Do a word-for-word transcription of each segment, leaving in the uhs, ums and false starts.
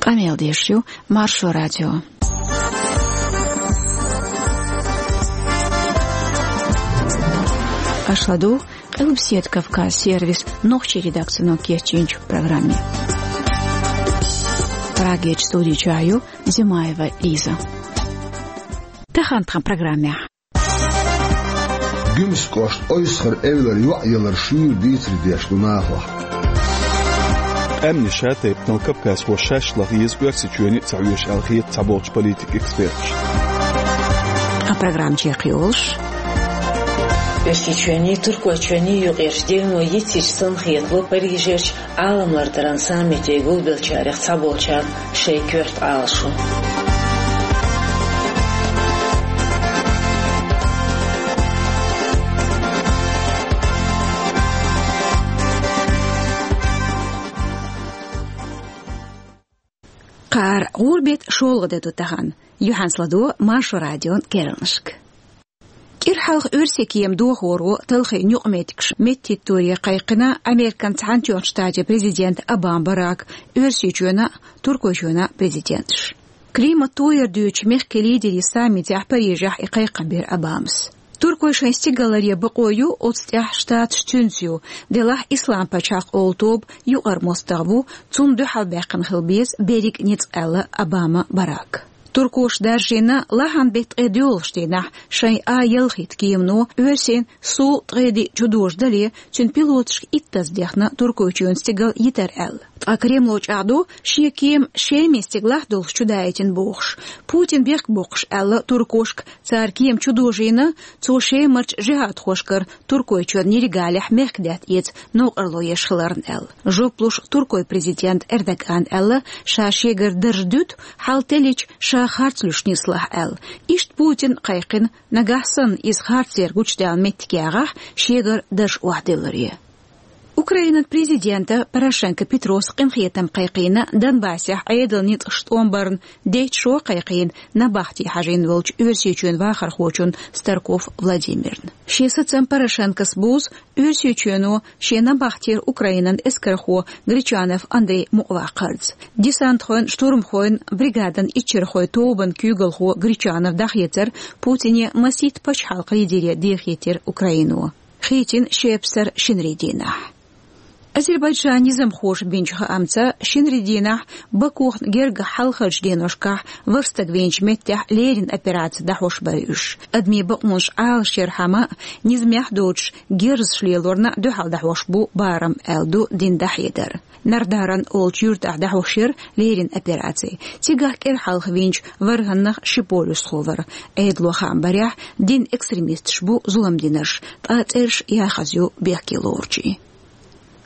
Къамел деш ю Маршо радио. Аша ладугӀу Къилбаседа Кавказ сервисан нохчийн редакцино кечйинчу программе. Прагерчу студи чохь ю Зимаева Лиза. Тахана тхан программехь. Гуьмсан кӀоштан Ойсхара эвлара йоӀ ялар шуьйра дийцаре деш ду нахах. Къаьмнийн шатайпанал кавказхоша шаьш лаха еза Оьрсийчоьне а ца хьоьжуш аьлла хета цхьаболчу политикан эксперташа. Тхан программа чекхйолуш: Оьрсийчоьнний, Туркойчоьнний юкъерчу девно йицйича санна хетало Парижерчу Ӏаламлардаран саммите гулбеллачарех цхьаболчарна шайн коьрта Ӏалашо. Кхара гӀуран беттан шолгӀа де ду тахана. Юьхьанца ладогӀа Маршо радион керланашка. КӀира хьалха оьрсийн кема дохоро талхийна юкъаметтигаш меттахӀитторе кхайкхина Американ Цхьаьнатоьхначу Штатийн президент Обама Барак, Оьрсийчоьнан а, Туркойчоьнан а президенташ. Климат тояр дуьйцучу мехкийн лидерийн саммитехь Парижехь и кхайкхам бира Обамас. Туркой шайн стигалларе бакъо ю, оцу тӀехь Штаташ цуьнца ю, делахь Ислам пачхьалкх олу тоба юкъара мостагӀа ву, цунна дуьхьал баьккхина хила беза берриг а ницкъ, аьлла Обама Барака. Туркоша даржийна лахьан беттан ткъе доьалгӀачу дийнахь шайн А ялхитта кемано оьрсийн Су ткъе диъ чудожадале, цуьнан пилоташка иттаза дехна Туркойчоьнан стигал йитар аьлла. Ткъа Кремло чӀагӀдо, шен кема Шеман стигалахь долуш чудаийтина бохуш. Путина бехк боккхуш аьлла туркошка, цара кема чудожийна, цо Шемарчу жихӀадхошкара Туркойчоьнан нерригалехь мехкадаьтта эца новкъарло еш хиларна аьлла. Жоп луш Туркойн президента Эрдогана аьлла, ша шегара дарж дуьту, хьал теллича ша харц луьйш нислахь аьлла. Иштта Путина кхайкхина, нагахь санна иза харцдер гучудаьлла меттиг ягӀахь, шегара дарж охьадилларе. Украинан президента Порошенко Петроса къинхетам кхайкхийна Донбассехь Ӏедалан ницкъаш тӀом барна, детташ шо кхайкхийна набахте хьажийна волчу Оьрсийчоьнан вахархочунна Старков Владимирна. Шен сацам Порошенкос бузу Оьрсийчоьно шен набахтера Украинан эскархо Гречанов Андрей мукъаваккхарца. Десантхойн, штурмхойн бригадан иччархойн тобанан куьйгалхо Гречанов дӀахецар Путине, масийтта пачхьалкхан лидере дехийтира Украино. Хийцина шепсар шинарин дийнахь. Азербайджанан низамхоша бинчу хаамца, шинарин дийнахь Бакух гергахь хьалхарчу деношкахь ворхӀ стаг вийначу меттехь леррина операци дӀахьош бара уьш. Адамийн бакъонаш Ӏалашъярхьама а, низамехь доцуш герзаш лелорна а дуьхьал дӀахьош бу барам, аьлла ду дина дӀахьедар. Нардаран олучу юьртахь дӀахьош яра леррина операци. Цигахь кӀира хьалха вийначу ворхӀаннах ши полисхо вара. Ӏедало хаам барехь, динан экстремисташ бу зулам динарш, ткъа цӀераш яхаза ю бехке лоручийн.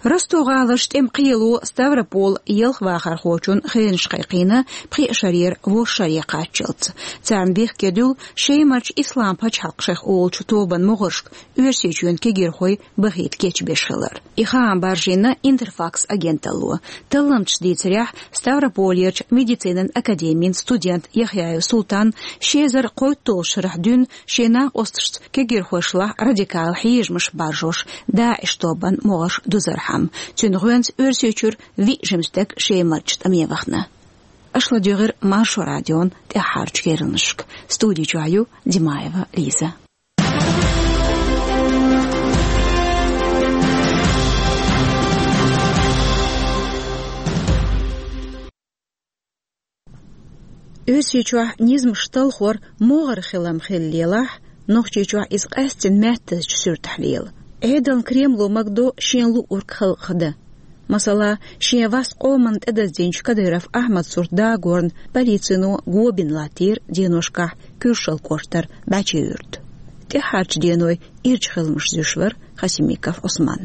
Ростов-гӀаларчу тӀеман кхело Ставрополь ялх вахархочун хенаш кхайкхийна пхи шарера ворхӀ шаре кхаччалц. Царна бехке дуьллу Шемарчу Ислам пачхьалкх шайх олучу тобанан могӀаршка Оьрсийчоьнан кегирхой бахийта кечбеш хилар. И хаам баржийна Интерфакс агенталло. Талламчаша дийцарехь, Ставрополерчу медицинан академин студент Яхъяев Султан ши эзар кхойтталгӀачу шарахь дуьйна шен накъосташца кегирхошлахь радикал хьежамаш баржош ДАИШ тобанан могӀарш дузархьама. Цуьнан гӀоьнца Оьрсийчуьра виъ жима стаг Шемарчу тӀаме вахана. Аша ладуьйгӀира Маршо радион тӀаьххьарчу керланашка. Студи чохь ю Димаева Лиза. Оьрсийчохь низамаш талхор могӀара хилам хилла лелахь, Нохчийчохь иза къаьсттина маьттазчу суьртахь лела. Ӏедална Кремло магадо шен луург халкъах дан. Масала, шен вас къоманна тӀедаздинчу Кадыров Ахьмадан сурт дагорна полицино го бина латтийра деношкахь Куьршалла кӀоштара БӀаьчи-Юьрта. ТӀаьххьарчу денойн ирчу хиламаш зуьйш вара Хасимиков Ӏусман.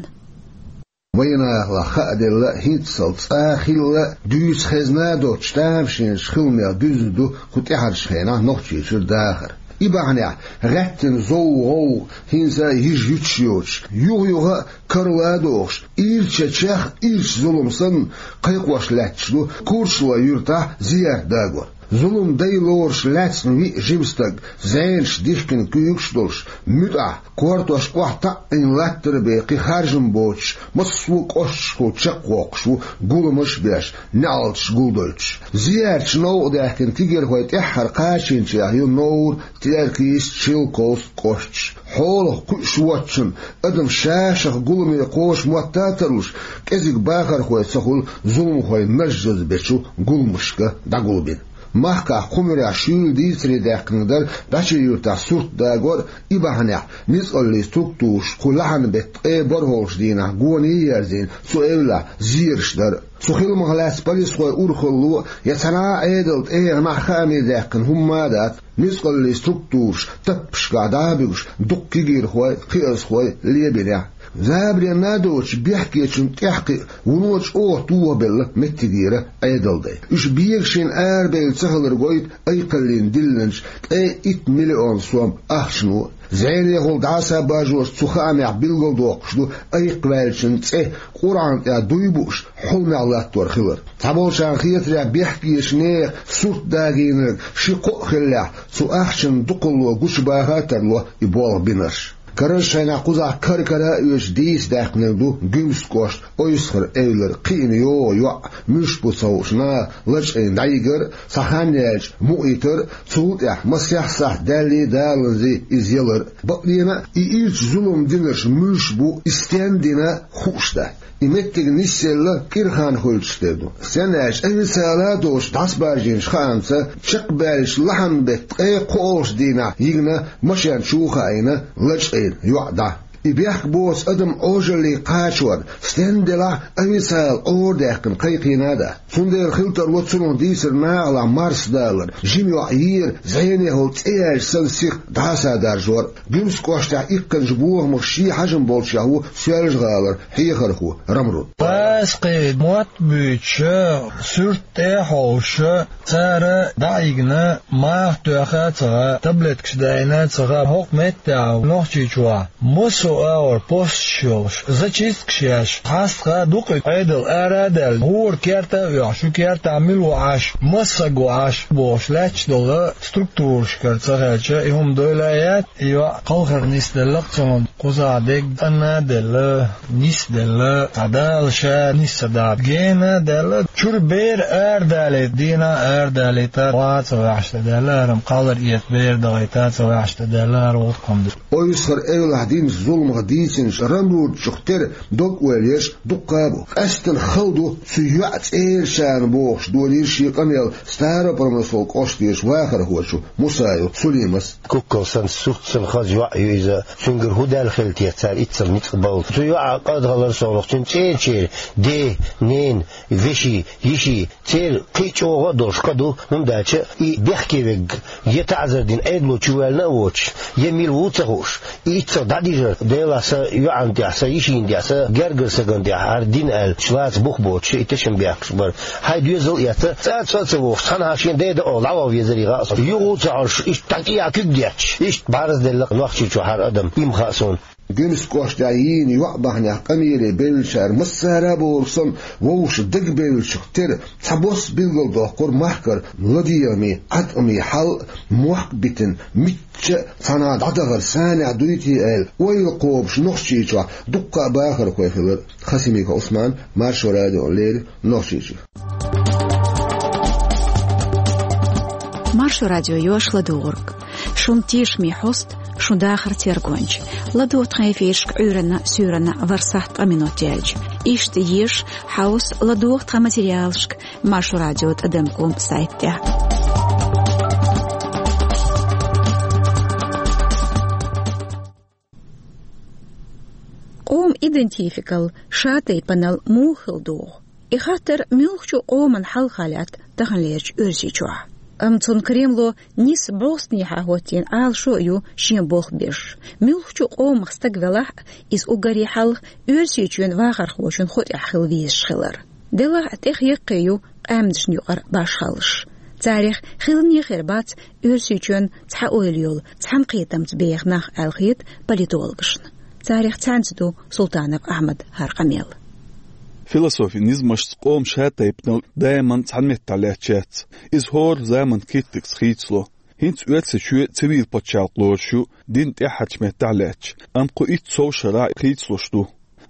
Вайнахалахь хааделла, хӀинццалц цкъа а хилла, дуьйцу хезна а доцуш, тамашийначу хиламех дуьзна ду кху тӀаьхьарчу хенахь Нохчийчуьра дахар. И бахьанехь гӀаьттина зов-гӀовгӀа хӀинца а йижа-юьтуш йоцуш, юха-юха а карла а дохуш, ирчачех ирча зулам санна, кхайкхош лаьтташ ду Курчалой-Юьртахь зиярт дагор. Зулам дай лоруш лаьцна виъ жима стаг, зӀенаш дихкина куьйгаш а долуш, муьтӀахь, кортош охьатаӀийна латтара бен кхин харжам боцуш, массо а кӀошташкахула чекхвоккхуш ву, гуламаш а беш, неӀалташ гулдойтуш. Зиярташ новкъа даьхкина тигирхой тӀаьххьара кхачийначех ю Новр, Теркйист, Шелковск кӀошташ. Хьолах кхуьуш воцчунна адам ша-шех гуламе кхоша мотт а тарлуш, кӀезиг бахархой ца хуьлу зуламхой нажжаза бечу гуламашка дӀагулбина. Махкахь кху муьрехь шуьйра дийцаре даьккхинарг дара ДӀача-Юьртахь сурт дагор а, и бахьанехь ницкъаллийн структураш кху лахьанан беттан ткъе бархӀолгӀачу дийнахь гоне а ерзийна цу эвлахь зераш дар а. Цу хиламах лаьцна полисхойн урхалло я цхьана а Ӏедалан тӀегӀанехь хааме даьккхина хӀумма а дац, ницкъаллийн структураш таппашкахь дӀа а буьгуш, дуккха кегийрхой, кхиазхой лебинехь. Забаренна а доцуш, бехкечунна тӀехь кхиъна, вуно чӀогӀа тохабелла меттигера Ӏедалдай. Уьш бегашийна арабевлла ца хилар гойту айкхаллина диллинчу ткъе итт миллион сом ахчано. ЗӀенехула дӀаса а бажош цу хаамехь билгалдоккхуш ду айкхваьллачун цӀе Къуръан тӀехь дуй бууш, хьуламехь латтор хилар. Цхьаболчарна хетарехь, бехкечу нехан сурт дагийнарг ши-кхоъ хиллехь, цу ахчанна дукхалло гучубаха а тарло и болх бинарш. Карарчу шайнахь кхузахь кар-кара а оьцуш дийца даьккхинарг ду Гуьмсан кӀоштан Ойсхар-Эвлара кхиъна йогӀу йоӀ, муьлш бу ца хууш наха лачкъийна дӀайигар а, цхьа хан яьлча мукъийтар а, цул тӀаьхьа масех сахьт даьллий, даланзий иза ялар а. Бакъдерг а, и ирча зулам динарш муьлш бу, и стенна дина хууш дац. И меттиг нисъелла кӀира хан хуьлуш тера ду. Стенна аьлча, официала а доцуш дӀасабаржийначу хаамца, чекхбаьллачу лахьанан беттан ткъе кхоалгӀачу дийнахь йигна машен чу хаийна лачкъийна йоӀ дӀа. И бехк боцу адам Ӏожалле кхачор, стенна делахь а, официала Ӏора даьккхина кхайкхийна а дац. Цундела хила тарло цунах дийцар накъалахь марсадалар, жима йоӀ ера, зӀенехула цӀе яьлча санна сиха дӀаса а даржор. Гуьмсан кӀоштахь иккхинчу бохамах шен хьажам болчех ву Соьлжа-ГӀалара хьехархо Рамрут. Пасхье мотт буьйцуш, суьрт тӀе а хьовсуш, цара дӀа а йигна, маха тоьхна а ца хаьа, таблеткаш даийна а ца хаьа, хӀокху меттехь Нохчийчохь массо а агӀор посташ йолуш, зачисткаш еш, хьастаха дукха Ӏедал ара а даьлла, гӀора керта а оьхуш, шу кертахь мила ву Ӏаш, маса стаг ву Ӏаш бохуш лаьтташ долу структурашкара ца хилча, и хӀума дойла а яц, и йоӀ кхалхар нисделла-кх цунна, кхузахь дегга цӀанна а делла, нисделла, цхьа Дала ша нисса даха гена а даьлла, чуьра бер арадалийта, дийнахь а арадалийта, ван а ца ваьхьаш тӀе даьлла, хӀара-м кхаллар эца бер дахийта а ца ваьхьаш тӀе даьлла, хӀара гӀуллакх-м ду. Ойсхар-Эвлахь динчу зуламах дийцинчу Рамрутчух тера дог-ойла ерш дуккха а бу. Къаьсттина хала ду цу йоьӀан цӀерачарна бохуш, долийра шен къамел Старопромысловски кӀоштан вахархочо Мусаев Сулимас. Куккал санна, сурт санна хаза йоӀ ю иза. Цуьнгара хӀун даьлла хилла те цара иццал ницкъ балла? Цу йоӀан къадхалар совнах, цуьнан цӀерачеран ден, ненан, вешин, йишин, церан кхин а чӀогӀа а долуш кхин ду, хӀунда аьлча и бехке верг я таӀзар дина Ӏедало чу ваьлла а воцуш, я мила ву а ца хууш, и иццах дӀадижар, Делахь, сан йоӀана тӀехь, сан йишина тӀехь, сан гергара стагана тӀехь хӀара дина аьлла, лаца бух боцуш, и тешнабехкаш бара. Хьайн доьзал а эцна, цӀа а, цӀа а ца вогӀуш, цхьанхьа шена ден дан олу дӀаваха везарий гӀа а со. Юха а ца Ӏаш, иштта дӀа тӀехьа куьг детташ, иштта бӀаьрзе делла-кх Нохчийчохь хӀара адам, и ма хаьа суна. Гуьмсан кӀоштахь йийна йоӀ бахьанехь къамеле бевллачара массара а бохург санна, вовшашна дагабевллачух тера цхьабосса билгалдоккхура махкара ладегӀамийн, Ӏаткъамийн хьал а, мохк а битина, мичча а цхьанхьа дӀадахар санехь дуй те аьлла, ойла кхобуш Нохчийчохь дуккха а бахархой хилар. Хасимиков Ӏусман, Маршо радиона леррина, Нохчийчуьра. Маршо радио йоьшу ладугӀург. Шун тешаме хьоста, шун дахар тергонча. ЛадогӀа тхан эфирашка Ӏуьйранна, суьйранна ворхӀ сахьт ткъа минот яьлча. Иштта еша, хьовса, ладогӀа тхан материалашка Маршо радио тӀадам ком сайта тӀехь. Къоман идентификал, шатайпанал муха хила догӀу? И хаттар муьлххачу къоман хьалха лаьтта таханлерчу Оьрсийчохь. Амма цунна Кремло нийсса бӀостанехьа хӀоттийна Ӏалашо а ю шен болх беш. Муьлххачу къомах стаг велахь а, иза уггаре хьалха Оьрсийчоьнан вахархочун ху тӀехь хила везаш хилар. Делахь а тӀех яккхий ю къаьмнашна юкъара башхаллаш. Царех хилане хир бац Оьрсийчоьнан цхьа ойла йолу, цхьана кхетамца беха нах аьлла хета политологашна. Царех цхьаьнца ду Султанов Ахьмадан хӀара къамел. Философин низамашца къоман шатайпанал даиман цхьана меттехь лаьтташ яц. Иза хӀора заманан киттигца хийцало. ХӀинца Оьрсийчоь цивил пачхьалкх лоруш ю, дин тӀаьххьарчу меттехь лаьтташ, амма кху итт-сов шарахь хийцалуш ду.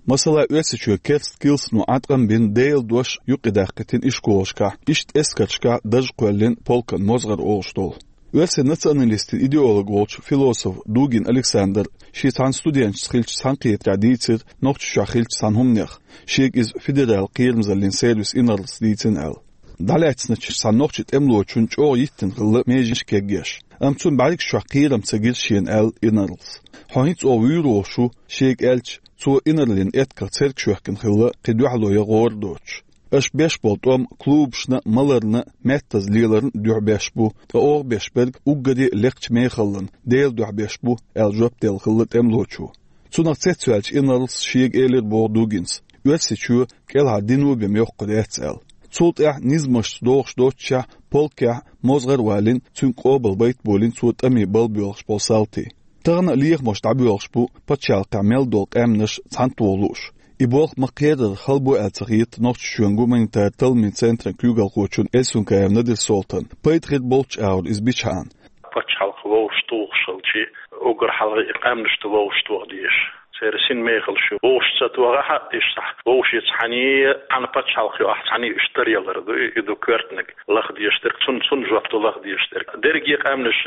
Масала, Оьрсийчоь керста килсано Ӏаткъам бина Делан дош юкъадаккхийтина ишколашкахь, иштта эскаршкахь дарж кхоьллина полкан мозгӀар олуш долу. Оьрсийн националистийн идеолог волчу философ Дугин Александр шен цхьана студенташца хиллачу цхьаьнакхетарехь дийцира Нохчийчохь хиллачу цхьана хӀуманех, шега иза федералан кхерамзаллин сервисан инарлас дийцина аьлла. ДӀалаьцначу цхьана нохчийн тӀемалочунна чӀогӀа йиттина хилла меженаш кегъеш. Амма цунна бӀаьргаш чохь кхерам ца гира шена аьлла инарлас. Хьо хӀинца оха вуьйр волуш ву, шега аьлча, цо инарлин этках церг шоьхкина хилла, кхин дуьхьало ян гӀора доцуш. Аша беш болу тӀом клубашна а, маларна а, меттаза леларна а дуьхьа беш бу, ткъа оха беш берг уггаре а лекхачу мехаллан Делан дуьхьа беш бу, аьлла жоп делла хилла тӀемалочо. Цунах цецваьллачу инарлас шега элира боху Дугинс: Оьрсийчоь кӀелхьара дино бен йоккхур яц аьлла. Цул тӀаьхьа низамашца догӀуш доццушехь, полкехь мозгӀар а валийна, цуьнга къобалбайта а болийна цо тӀаме балбоьлхуш болу салтий. Тахана а лехамаш дӀабоьлхуш бу пачхьалкхехь мел долу къаьмнаш цхьаьнатоха лууш. И болх ма-кхерара хала бу аьлла ца хета Нохчийчоьнан гуманитаран талламийн центран куьйгалхочунна Эльсункаев Надир-Солтанна. Пайда хир болчу агӀор иза бичхьана. Пачхьалкх вовшахтухуш хилча, уггар хьалха и къаьмнаш ду вовшахтоха дезаш. Церан синмехаллаш ю вовшах ца тохахь а, иштта вовшах цхьаьний, цхьана пачхьалкх ю ахь цхьаьний, уьш таръялар ду, и ду коьртаниг лаха дезаш дерг, цунна, цунна жоп ду лаха дезаш дерг. Дерриге къаьмнаш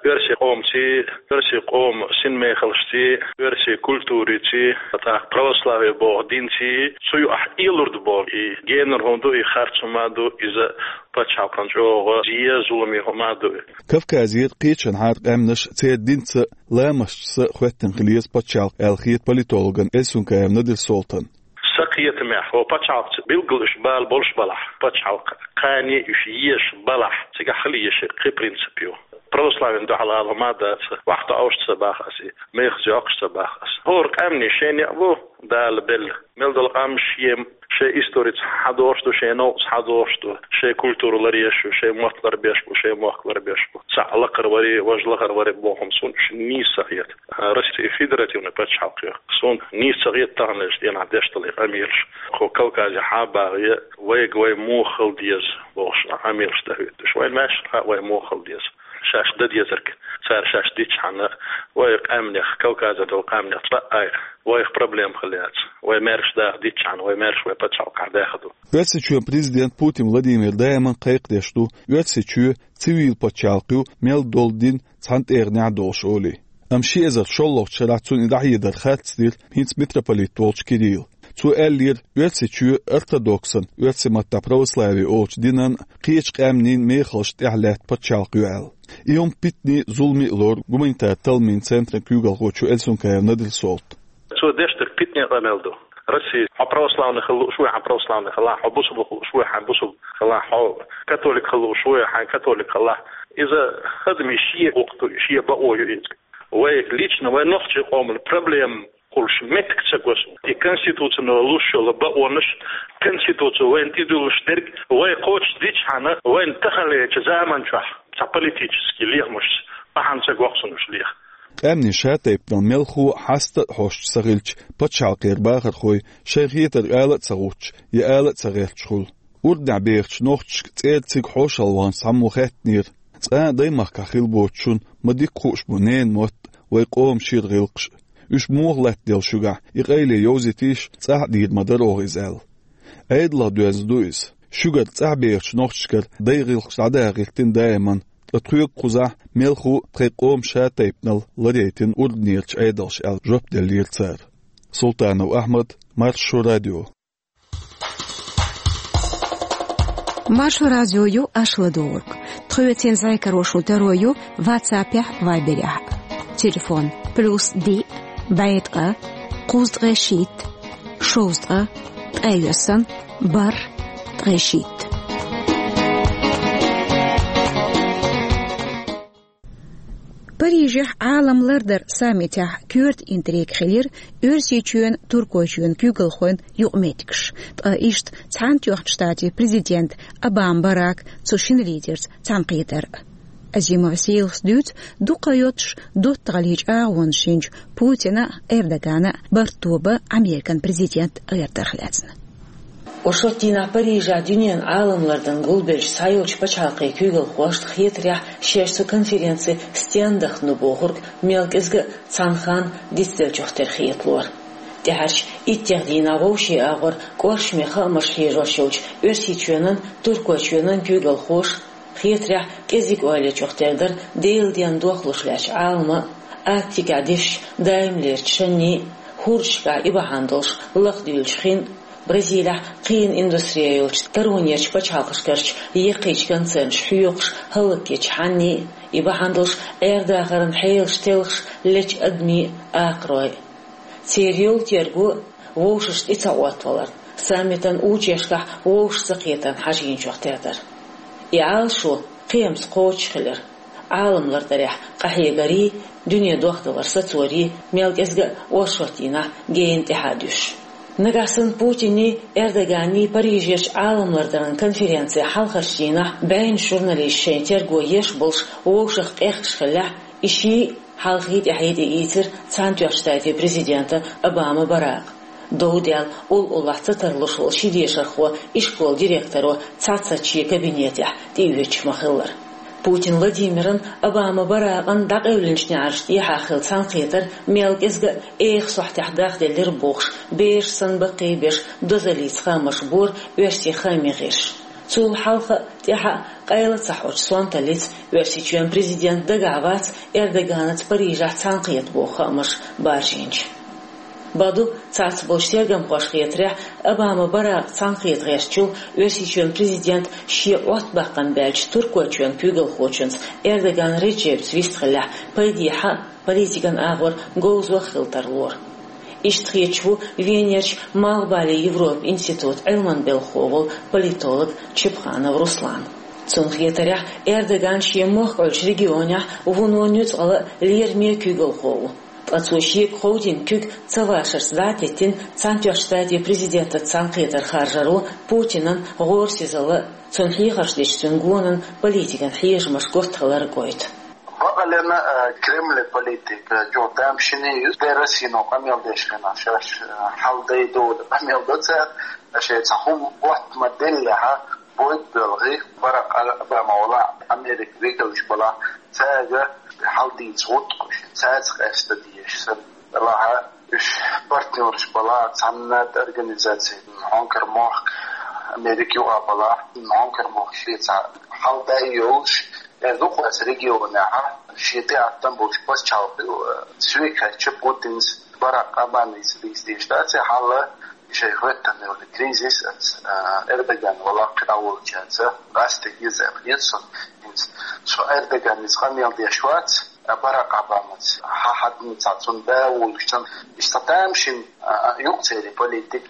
оьрсийн къомаций, оьрсийн къоман синмехаллашций, оьрсийн культураций, тӀаккха православие боху динций, цу ю ахь ийлур ду боху. И генара хӀума ду, и харц хӀума ду, иза пачхьалкхана чӀогӀа зе, зуламе хӀума ду. Кавказера кхечанхьара къаьмнаш церан динца а, ламасташца а хоьттина хила еза пачхьалкх аьлла хета политологна Эльсункаев Надир-Солтанна. Сан кхетамехь, хӀокху пачхьалкхаца билггал уьш бала болуш балахь, пачхьалкх кхане уьш езаш балахь, цигахь хила езаш кхин принцип ю. Православина дуьхьал ала хӀума дац, вахту Ӏовшаца баха аса, мехаца йоккхуш ца баха аса. ХӀора къаьмнийн шен некъ бу, Дала белла. Мел долу къам шен, шен историца хьадогӀуш ду, шен новкъаца хьадогӀуш ду, шен культура ларъеш ю, шен мотт ларбеш бу, шен мохк ларбеш бу. Цхьаъ лакхара варе, важа лахара варе боху хӀума суна уьш нийса ца хета. Россия федеративный пачхьалкх ю. Суна нийса ца хета таханлерчу дийнахь деш долу и къамелаш. Кху Кавказехь а багӀе, вайга вай муха хила деза бохуш къамелаш дан хӀуьттуш. Вайн маьршна хаьа вай муха хила деза. Шаьш дан дезарг, цара шаьш дичхьана, вай къаьмнех, Кавказера долу къаьмнех цкъа а вайх проблема хила яц. Вай маьрша даха дичхьана, вай маьрша вай пачхьалкхехь даьхна ду. Оьрсийчоьнан президент Путин Владимир даиман кхайкхадеш ду Оьрсийчоь цивил пачхьалкх ю, мел долу дин цхьана тӀегӀанехь долуш олий. Амма ши эзар шолгӀачу шарахь цунна и дӀахьедар харц дира хӀинца митрополит волчу Кирилла. Цо аьллера, Оьрсийчоь ортодоксан, оьрсийн маттахь православие олучу динан, кхечу къаьмнийн мехаллашна тӀехь лаьтта пачхьалкх ю аьлла. И хӀума питане а, зуламе а лору гуманитаран талламийн центран куьйгалхочо Эльсункаев Надир-Солтана. Цо деш дерг питане къамел ду. Россия, хьо православный хила лууш вуй, хьан православный хилахь, хьо бусулба хила лууш вуй, хьан бусулба хилахь, хьо католик хила лууш вуй, хьан католик хилахь. Иза хӀадаме шен гӀуллакх ду, шен бакъо ю иза. Вай лично, вай нохчийн къоман проблема хуьлуш меттиг ца го суна. И конституцина луш йолу бакъонаш, конституци вайна тӀедуьллуш дерг вай кхочушдичхьана, вайна таханлерчу заман чохь цхьа политический лехамашца бахьана ца го суна уьш леха. Къаьмнийн шатайпанал мелхо а хьаста а хьоьстуш ца хилча, пачхьалкхера бахархой шайн хетарг ала а ца гӀуттуш, я ала а ца гӀерташ хуьлу. Урднехь бехачу нохчашка цӀера цига хьошалгӀанаш цхьаммо хаьттинера: «Цкъа а даймахкахь хила боцучунна ма дика хууш бу ненан мотт а, вай къоман шира гӀиллакхаш а. Уьш муха латтаделла шуьгахь, и къайле йовзийтийша, цӀахь а дийр ма дара оха иза», — аьлла. Ӏедалах доьзна ду иза. Шуьгара цӀахь бехачу нохчашкара дайн гӀиллакхаш дӀадахийтина даиман, ткъа тхоьга кхузахь мелхо а тхайн къоман шатайпанал ларъяйтина урданерачу Ӏедалша, аьлла, жоп деллера цара. Султанов Ахьмад, Маршо радио. Маршо радио ю аша ладугӀург. Тхоьцин зӀе карош ву таро ю WhatsApp-ехь, Viber-ехь. Телефон: плюс диъ, бӀе ткъа, кхузткъе шийтта, шовзткъа, ткъе шийтта. Парижехь Ӏалам лардар саммитехь коьрта интрига хилира Оьрсийчоьнан, Туркойчоьнан куьйгалхойн юкъаметтигаш, ткъа иштта Цхьаьнатоьхначу Штатийн президент Обама Барак цу шина лидерца цхьаьнакхетар. Азимова Сейлас дуьйцу дукха йоццуш доттагӀаллин чӀагӀонаш йинчу Путина а, Эрдогана а барт тоба Американ президент гӀертарх лаьцна. Оршот дийнахь Парижехь дуьненан Ӏалам лардан гулбеллачу цхьайолчу пачхьалкхийн куьйгалхошна хетарехь, шаьш цу конференци стенна дахана ду бохург мел кӀезга а цхьана ханна дицделлачух тера хеталора. ТӀаьхьарчу иттех дийнахь вовшийн агӀор кӀоршаме хаамаш хьежош йолчу Оьрсийчоьнан, Туркойчоьнан куьйгалхоша хетарехь кӀезиг-ойла ечух тера дара Делан денна дохлуш лаьттачу Ӏалама, Арктикехь дисчу даимлерчу шанний, хӀордашкахь и бахьана долуш лахдуьйлучу хин, Бразилехь кхиъна индустрия йолчу таронерчу пачхьалкхашкарчу яккхийчу концернаша хьоькхуш хӀаллакъечу хьанний, и бахьана долуш Ӏер-дахаран хьелаш телхаш лечу адамийн акхарой. Церан йолу терго вовшашна тӀе ца Ӏоттаваларна, саммитан учуешкахь вовшашца кхетарна хьажийначух тера дара. И Ӏалашо кхиамца кхочуш хилира. Ӏалам лардарехь къахьегарий, дуьне дохдалар сацорий, мел кӀезга а оршот дийнахь гена тӀаьхьа а дуьсуш. Нагахь санна Путинний, Эрдоганний Парижерчу Ӏалам лардаран конференци хьалхарчу дийнахь бӀеннаш журналисташ шайн терго еш болуш вовшах къехкаш хиллехь, и ший хьалхий тӀаьхьий тӀеийцира Цхьаьнатоьхначу Штатийн президента Обама Баракъа. Дов даьлла, уллохь ца тарлуш волу ши дешархо ишколан директоро цхьацца шен кабинетехь тӀеоьцуш ма-хиллара. Путин Владимиран, Обама Баракъан дӀакъевлинчу неӀарш тӀехьа хилла цхьаьнакхетар мел кӀезга а эха сохьтехь дахделлира бохуш, бераш санна баккхийбеш дозаллица хаамаш бора оьрсийн хаамийн гӀирсаша. Цул хьалха а, тӀаьхьа а къайла ца хьочу сонталлица Оьрсийчоьнан президент дагахь вац Эрдоганаца Парижехь цхьаьнакхета боху хаамаш баржийначу. Бакъду, цхьацца болчу тергамхошна хетарехь, Обама Баракъ цхьаьнакхета гӀертачул Оьрсийчоьнан президент шен Ӏоттабаккхам баьллачу Туркойчоьнан куьйгалхочуьнца Эрдоган Реджепца вистхиллехь, пайдехьа а, политикан агӀор говзо а хила тарлора. Иштта хеташ ву Венерчу Малхбален Европан институтан Ӏилманан белхахо волу политолог Чепханов Руслан. Цунна хетарехь, Эрдоган шен мохк Ӏуьллучу регионехь вуно нуьцкъала а, лераме а куьйгалхо ву. Ткъа цо шега ховдийна куьг ца вашарца дӀа а теттина, Цхьаьнатоьхначу Штатийн президентаца цхьаьнакхетар харжаро Путинан гӀорасизалла а, цунна хьехарш дечу цуьнан гонан политикан хьежамаш готта хилар а гойту. Бакъалена, а, Кремле политика, а, чӀогӀа тамашийна ю, де Россино къамел деш хенахь шаьш, а, хьал дай дола къамел до цара, а, шайн цхьа хӀума готта ма-деллехь, бойт белхий, Барак Обама вала Америка векалш бала, цаьрга хьал дийца гӀутта кхуьш, цаьрца къаьста дезаш санна, лаха уьш партнерш бала, цхьанна организаци, хьонкар мохк, Америка юкъа бала, хьонкар мохк шеца хьал дай йолуш, Эр ду кхуьнца регионехь шен тӀеӀаткъам болчу пачхьалкхе, э, цве кхаьчча Путинс Барак Обамица дийца дезаш дац, и хьалла шайн хӀоьттина йолу кризис, э, Эрдоган вала кхидӀа волчаьрца, къаьсттиг иза аьлла хета суна. ХӀинца со Эрдоганица къамел деш вац, э, Барак Обамаца, хьан хьадна цхьа цунна да а волуш цунна, иштта тамашийна, э, юкъа церан политик.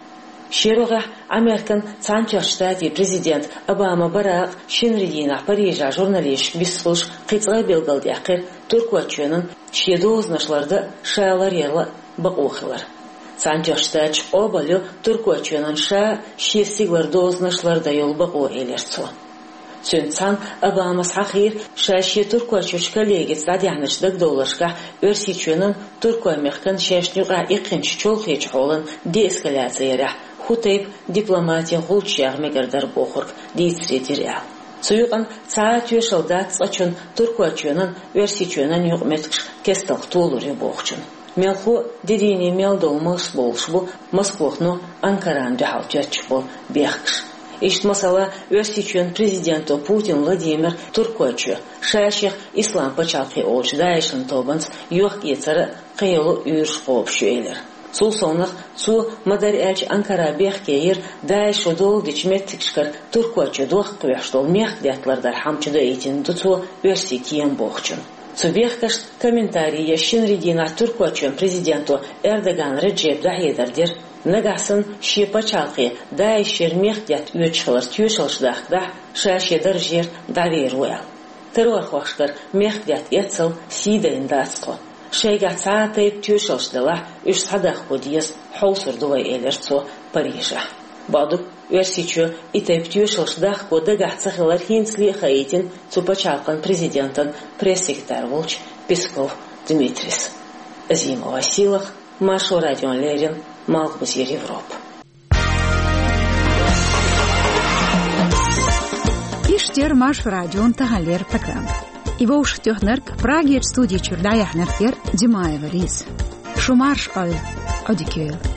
Шен рогӀехь Американ Цхьаьнатоьхначу Штатийн президент Обама Баракъ шинарин дийнахь Парижехь журналисташка вистхуьлуш кхин цкъа а билгалдаьккхира Туркойчоьнан шен дозанаш лардан а, ша ларъяран а бакъо хилар. Цхьаьнатоьхначу Штаташ къобалйо Туркойчоьнан ша шен стигалара дозанаш лардан йолу бакъо, элира цо. Цуьнца цхьаьна Обамас хьахийра, ша шен Туркойчуьрчу коллегица дӀадаьхьначу дагадовларшкахь Оьрсийчоьнан, Туркойн-мехкан шайшна юкъахь иккхинчу чолхечу хьолан деэскалаци ярехь хӀун тайпа дипломатин гӀулч яха мегар дара бохург дийцаре дира аьлла. Цу юкъана цхьа а тоьшалла дац цкъачунна Туркойчоьнан, Оьрсийчоьнан юкъаметтигаш кестта толур ю бохучун. Мелхо а де дийне мел долу малсбовлуш бу Москвахно Анкарана дуьхьал тоьттуш болу бехкаш. Иштта, масала, Оьрсийчоьнан президенто Путин Владимира Туркойчоь, ша шех Ислам пачхьалкхе олучу ДАИШан тобанца йохк-эцар а, кхин йолу уьйраш кхобуш ю элира. Цул совнаха, цо, ма-дарра аьлча, Анкара бехке йира, ДАИШо долу дечу меттигашкара Туркойчоь дохка кхоьхьуш долу мехкдаьтта лардаран хӀума чудаийтина ду цо оьрсийн кема бохучун. Цу бехкашна комментарий еш шинарин дийнахь Туркойчоьнан президенто Эрдоган Реджепа дӀахьедар дира, нагахь санна шен пачхьалкхе ДАИШера мехкдаьтта оьцуш хиларан тоьшаллаш дахкадахь, ша шен даржера дӀавер ву аьлла. Террорхошкара мехкдаьтта эццал сий дайна дац тхо. Шайгахь цхьа а тайпа тоьшаллаш делахь, уьш схьадахко деза, хьовсур ду вай, элира цо Парижехь. Бакъду, Оьрсийчоь и тайпа тоьшаллаш дахко дагахь ца хилар хӀинцале а хаийтина цу пачхьалкхан президентан пресс-секретарь волчу Песков Дмитрийс. Азимова Силах, Маршо радиона леррина, Малхбузера Европа. Эфирт яр Маршо радион таханлера программа. И вовшахтоьхнарг, Прагерчу студи чуьра дӀаяьхьнарг яра Димаева Лиза. Шу марша Ӏойла, Ӏодика йойла.